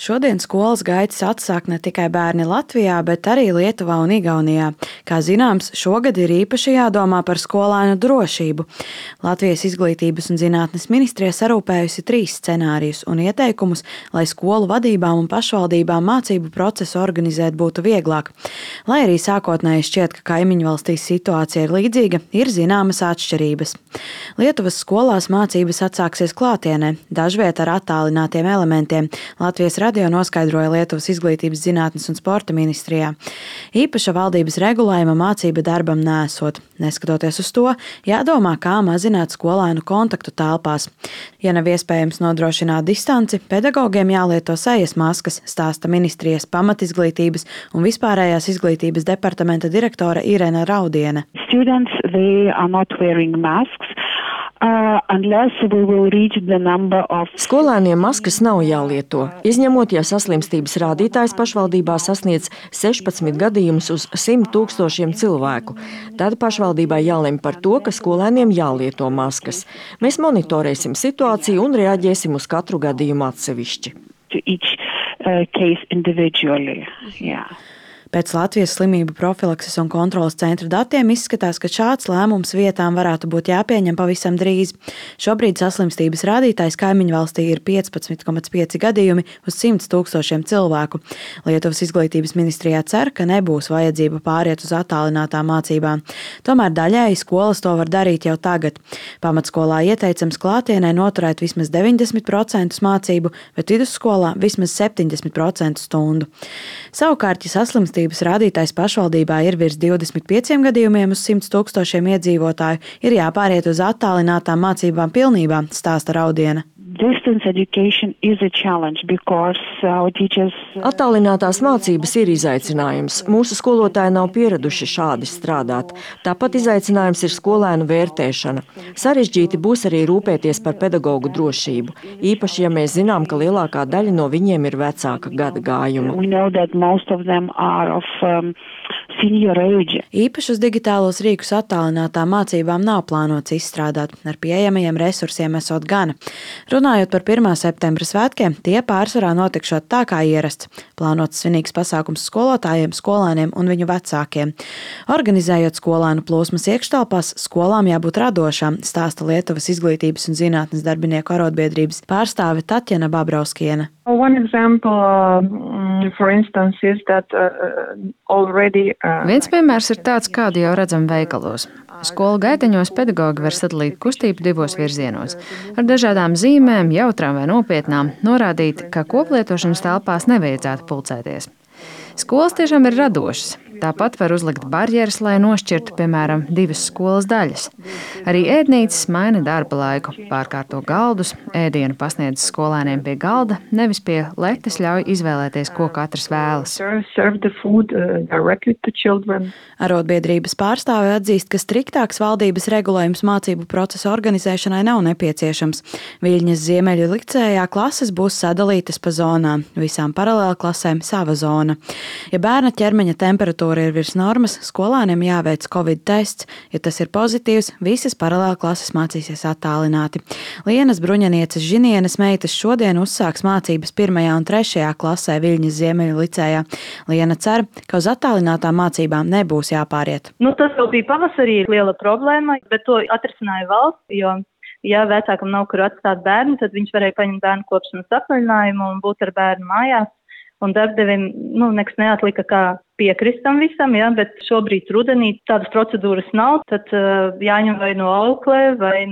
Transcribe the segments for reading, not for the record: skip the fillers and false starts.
Šodien skolas gaitas atsāk ne tikai bērni Latvijā, bet arī Lietuvā un Igaunijā. Kā zināms, šogad ir īpaši jādomā par skolēnu drošību. Latvijas Izglītības un zinātnes ministrija sarūpējusi 3 scenārijus un ieteikumus, lai skolu vadībām un pašvaldībām mācību procesu organizēt būtu vieglāk. Lai arī sākotnēji šķiet, ka kaimiņu valstīs situācija ir līdzīga, ir zināmas atšķirības. Lietuvas skolās mācības atsāksies klātienē, dažviet ar attālinātiem elementiem. Latvijas radio noskaidroja Lietuvas Izglītības, zinātnes un sporta ministrijā. Īpaša valdības regulējuma mācība darbam nesot. Neskatoties uz to, jādomā, kā mazināt skolēnu kontaktu telpās. Ja nav iespējams nodrošināt distanci, pedagogiem jālieto sejas maskas, stāsta ministrijas pamatizglītības un vispārējās izglītības departamenta direktore Irena Raudiene. Students, they are not wearing masks. Skolēniem maskas nav jālieto, izņemot, ja saslimstības rādītājs pašvaldībā sasniedz 16 gadījumus uz 100 000 cilvēku. Tad pašvaldībai jālemj par to, ka skolēniem jālieto maskas. Mēs monitorēsim situāciju un reaģēsim uz katru gadījumu atsevišķi. Pēc Latvijas slimību profilakses un kontroles centra datiem izskatās, ka šāds lēmums vietām varētu būt jāpieņem pavisam drīz. Šobrīd saslimstības rādītājs kaimiņu valstī ir 15,5 gadījumi uz 100 000 cilvēku. Lietuvas Izglītības ministrijā cer, ka nebūs vajadzība pāriet uz attālinātām mācībām. Tomēr daļēji skolas to var darīt jau tagad. Pamatskolā ieteicams klātienē noturēt vismaz 90% mācību, bet vidusskolā vismaz 70% stundu. Savukārt, ja saslimstības rādītājs pašvaldībā ir virs 25 gadījumiem uz 100 000 iedzīvotāju, ir jāpāriet uz attālinātām mācībām pilnībā, stāsta Raudiene. Attālinātās mācības ir izaicinājums. Mūsu skolotāji nav pieraduši šādi strādāt. Tāpat izaicinājums ir skolēnu vērtēšana. Sarežģīti būs arī rūpēties par pedagogu drošību. Īpaši, ja mēs zinām, ka lielākā daļa no viņiem ir vecāka gada gājuma. Īpašus digitālos rīkus attālinātām mācībām nav plānots izstrādāt. Ar pieejamajiem resursiem esot gana. Runājot par 1. septembra svētkiem, tie pārsvarā notikšot tā kā ierasts. Plānots svinīgs pasākums skolotājiem, skolēniem un viņu vecākiem. Organizējot skolēnu plūsmas iekštelpās, skolām jābūt radošām, stāsta Lietuvas Izglītības un zinātnes darbinieku arotbiedrības pārstāve Tatjana Babrauskiene. Viens piemērs ir tāds, kādu jau redzam veikalos. Skolu gaiteņos pedagogi var sadalīt kustību 2 virzienos. Ar dažādām zīmēm, jautrām vai nopietnām, norādīt, ka koplietošanas telpās nevajadzētu pulcēties. Skolas tiešām ir radošas. Tāpat var uzlikt barjeras, lai nošķirtu, piemēram, 2 skolas daļas. Arī ēdnīcas maina darba laiku, pārkārto galdus, ēdienu pasniedz skolēniem pie galda, nevis pie letes ļauj izvēlēties, ko katrs vēlas. Arotbiedrības pārstāve atzīst, ka striktāks valdības regulējums mācību procesa organizēšanai nav nepieciešams. Viļņas Ziemeļu licējā klases būs sadalītas pa zonām, visām paralēlklasēm sava zona. Ja bērna ķermeņa temperatūra ir virs normas, skolēniem jāveic Covid tests. Ja tas ir pozitīvs, visas paralēlklases mācīsies attālināti. Lienas Bruņanieces Žinienes meitas šodien uzsāks mācības 1. un 3. klasē Viļņas Ziemeļu licējā. Liena cer, ka uz attālinātām mācībām nebūs jāpāriet. Tas jau bija pavasarī liela problēma, bet to atrisināja valsts, jo ja vecākam nav kur atstāt bērnu, tad viņš varēja paņemt bērnu kopšanas atvaļinājumu un būt ar bērnu mājās. Un darbdevim nekas neatlika, kā piekrist tam visam, bet šobrīd rudenī tādas procedūras nav, tad jāņem vai no auklē, vai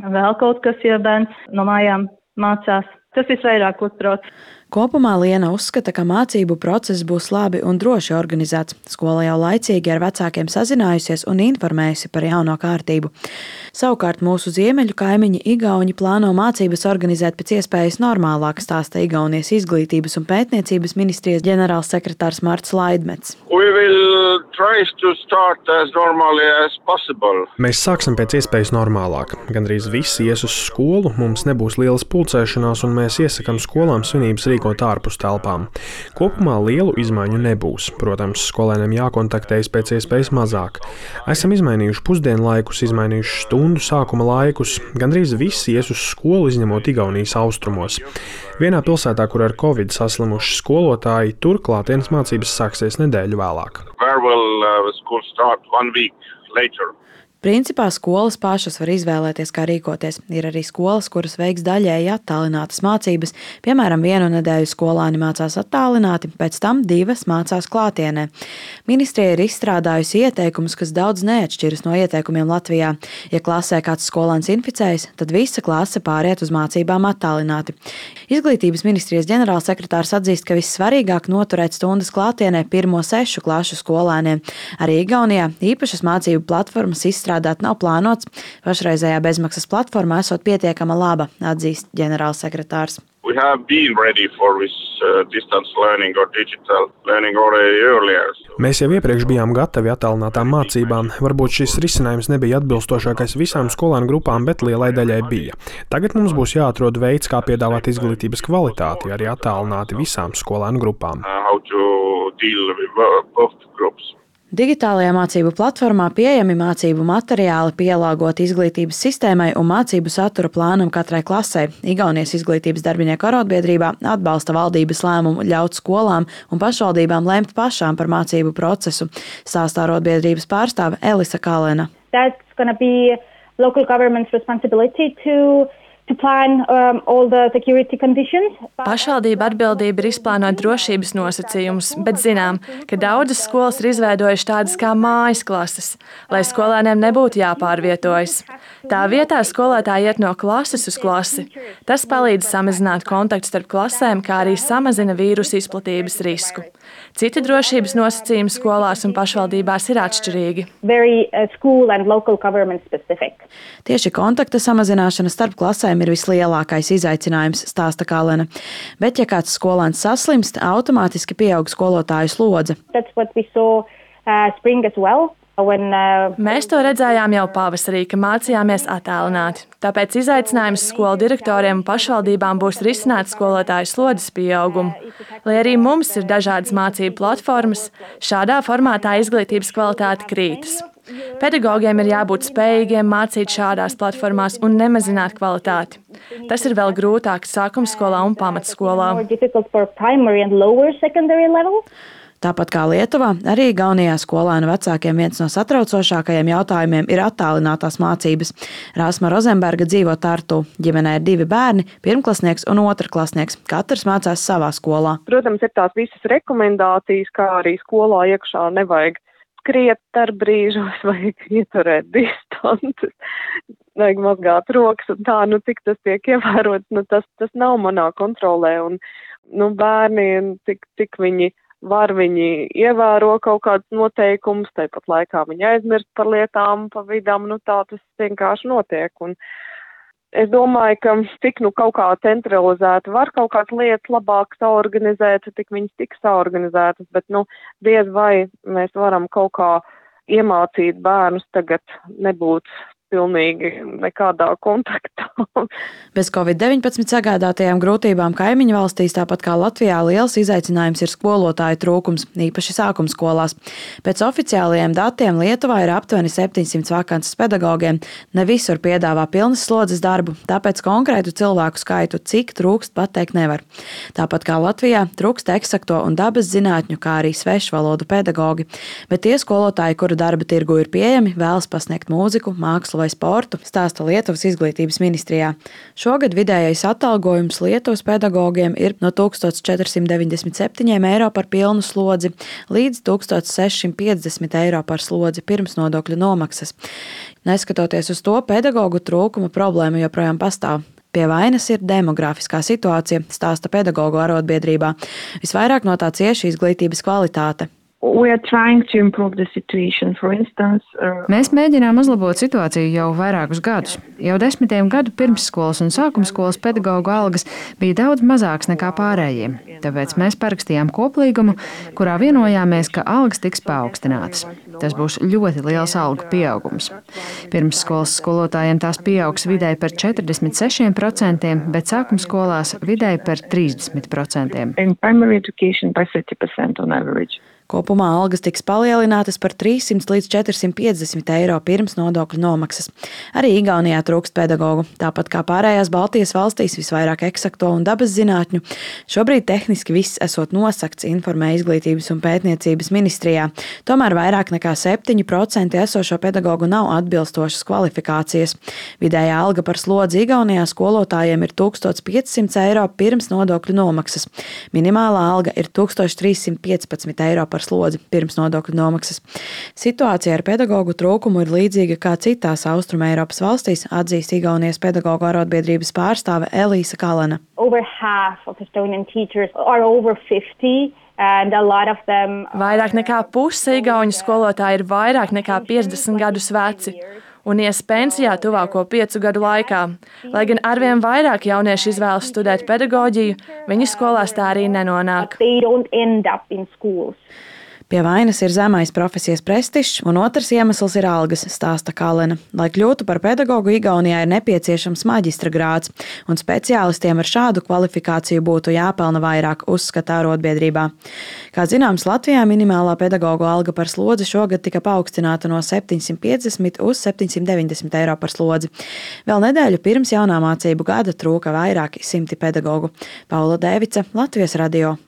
vēl kaut kas, ja bērns no mājām mācās. Tas visvairāk uztrauc. Kopumā Liena uzskata, ka mācību process būs labi un droši organizēts. Skola jau laicīgi ar vecākiem sazinājusies un informējusi par jauno kārtību. Savukārt mūsu ziemeļu kaimiņi Igauņi plāno mācības organizēt pēc iespējas normālāk, stāsta Igaunijas Izglītības un pētniecības ministrijas ģenerālsekretārs Marts Laidmets. Mēs sāksim pēc iespējas normālāk. Gandrīz visi ies uz skolu, mums nebūs lielas pulcēšanās, un mēs iesakām skolām svinības rīkot ārpus telpām. Kopumā lielu izmaiņu nebūs. Protams, skolēniem jākontaktējas pēc iespējas mazāk. Esam izmainījuši pusdienlaikus, izmainījuši stundu sākuma laikus. Gandrīz visi ies uz skolu, izņemot Igaunijas austrumos. Vienā pilsētā, kur ar Covid saslimuši skolotāji, tur klātienes mācības sāksies nedēļu vēlāk. Principā skolas pašas var izvēlēties, kā rīkoties. Ir arī skolas, kuras veiks daļēji attālinātas mācības. Piemēram, 1 nedēļu skolāni mācās attālināti, pēc tam 2 mācās klātienē. Ministrija ir izstrādājusi ieteikumus, kas daudz neatšķiras no ieteikumiem Latvijā. Ja klasē kāds skolāns inficējas, tad visa klase pāriet uz mācībām attālināti. Izglītības ministrijas ģenerālsekretārs atzīst, ka vissvarīgāk noturēt stundas klātienē 1. 6 klašu skolēniem. Arī Igaunijā īpašas mācību platformas izstrādāt nav plānots. Pašreizējā bezmaksas platforma esot pietiekama laba, atzīst ģenerālsekretārs. Mēs jau iepriekš bijām gatavi attālinātām mācībām. Varbūt šis risinājums nebija atbilstošākais visām skolēnu grupām, bet lielai daļai bija. Tagad mums būs jāatrod veids, kā piedāvāt izglītības kvalitāti, arī attālināti visām skolēnu grupām. Digitālajā mācību platformā pieejami mācību materiāli pielāgoti izglītības sistēmai un mācību satura plānam katrai klasē. Igaunijas izglītības darbinieku arotbiedrībā atbalsta valdības lēmumu ļaut skolām un pašvaldībām lemt pašām par mācību procesu, stāstā arotbiedrības pārstāve Elisa Kalena. That's going to be local government's responsibility to plan all the security conditions. Pašvaldība atbildība ir izplānot drošības nosacījumus, bet zinām, ka daudzas skolas ir izveidojušas tādas kā mājas klases, lai skolēniem nebūtu jāpārvietojas. Tā vietā skolotāji iet no klases uz klasi. Tas palīdz samazināt kontaktu starp klasēm, kā arī samazina vīrusu izplatības risku. Citi drošības nosacījumi skolās un pašvaldībās ir atšķirīgi. Tieši kontakta samazināšana starp klasēm ir vislielākais izaicinājums, stāsta Kalena. Bet, ja kāds skolēns saslimst, automātiski pieaug skolotāju slodze. Mēs to redzējām jau pavasarī, ka mācījāmies attālināti. Tāpēc izaicinājums skolu direktoriem un pašvaldībām būs risināt skolotāju slodzes pieaugumu. Lai arī mums ir dažādas mācību platformas, šādā formātā izglītības kvalitāte krītas. Pedagogiem ir jābūt spējīgiem mācīt šādās platformās un nemazināt kvalitāti. Tas ir vēl grūtāk sākumskolā un pamatskolā. Tāpat kā Lietuvā, arī Igaunijā skolēnu vecākiem viens no satraucošākajiem jautājumiem ir attālinātās mācības. Rasma Rozenberga dzīvo Tartu. Ģimenē ir 2 bērni, pirmklasnieks un otrklasnieks. Katrs mācās savā skolā. Protams, ir tās visas rekomendācijas, kā arī skolā iekšā nevajag skriet ar brīžos, vajag ieturēt distances, vajag mazgāt rokas un tā, cik tas tiek ievērots, tas nav manā kontrolē. Un, bērni, cik viņi ievēro kaut kādus noteikumus, tāpat laikā viņi aizmirst par lietām pa vidām, tā tas vienkārši notiek. Un es domāju, ka cik kaut kā centralizēti var kaut kādas lietas labāk saorganizēt, tik viņas tiks saorganizētas, bet diez vai mēs varam kaut kā iemācīt bērnus tagad nebūt pilnīgi nekādā kontaktā. Bez Covid-19 sagādātajām grūtībām kaimiņu valstīs, tāpat kā Latvijā, liels izaicinājums ir skolotāju trūkums, īpaši sākumskolās. Pēc oficiālajiem datiem Lietuvā ir aptuveni 700 vakances pedagogiem. Ne visur piedāvā pilnas slodzes darbu, tāpēc konkrētu cilvēku skaitu, cik trūkst, pateikt nevar. Tāpat kā Latvijā, trūkst eksakto un dabas zinātņu, kā arī svešvalodu pedagogi. Bet tie skolotāji, kuru darba tirgu ir pieejami, vēlas pasniegt mūziku, mākslu vai sportu, stāsta Lietuvas izglītības ministrijā. Šogad vidējais atalgojums Lietuvas pedagogiem ir no 1497 eiro par pilnu slodzi līdz 1650 eiro par slodzi pirms nodokļu nomaksas. Neskatoties uz to, pedagogu trūkuma problēma joprojām pastāv. Pie vainas ir demografiskā situācija, stāsta pedagogu arotbiedrībā. Visvairāk no tā cieši izglītības kvalitāte. Mēs mēģinām uzlabot situāciju jau vairākus gadus. Jau 10 gadu pirmsskolas un sākumskolas pedagoģu algas bija daudz mazākas nekā pārējiem. Tāpēc mēs parakstījām koplīgumu, kurā vienojāmies, ka algas tiks paaugstinātas. Tas būs ļoti liels algu pieaugums. Pirmsskolas skolotājiem tās pieaugs vidēji par 46%, bet sākumskolās vidēji par 30%. Kopumā algas tiks palielinātas par 300 līdz 450 eiro pirms nodokļu nomaksas. Arī Igaunijā trūkst pedagogu, tāpat kā pārējās Baltijas valstīs visvairāk eksakto un dabas zinātņu. Šobrīd tehniski viss esot nosakts, informē Izglītības un pētniecības ministrijā. Tomēr vairāk nekā 7% esošo pedagogu nav atbilstošas kvalifikācijas. Vidējā alga par slodzi Igaunijā skolotājiem ir 1500 eiro pirms nodokļu nomaksas. Minimālā alga ir 1315 eiro par slodzi pirms nodokļu nomaksas. Situācija ar pedagoģu trūkumu ir līdzīga kā citās Austrumeiropas valstīs, atzīst Igaunijas pedagoģu arotbiedrības pārstāve Elīsa Kalena. Vairāk nekā puse igauņu skolotāji ir vairāk nekā 50 gadus veci un ies pensijā tuvāko 5 gadu laikā. Lai gan arvien vairāk jaunieši izvēlas studēt pedagoģiju, viņi skolās tā arī nenonāk. Pie vainas ir zemais profesijas prestižs, un otrs iemesls ir algas, stāsta Kalena. Lai kļūtu par pedagogu, Igaunijā ir nepieciešams maģistra grāds, un speciālistiem ar šādu kvalifikāciju būtu jāpelna vairāk, uzskata arotbiedrībā. Kā zināms, Latvijā minimālā pedagogu alga par slodzi šogad tika paaugstināta no 750 uz 790 eiro par slodzi. Vēl nedēļu pirms jaunā mācību gada trūka vairāki simti pedagogu. Paula Dēvica, Latvijas radio.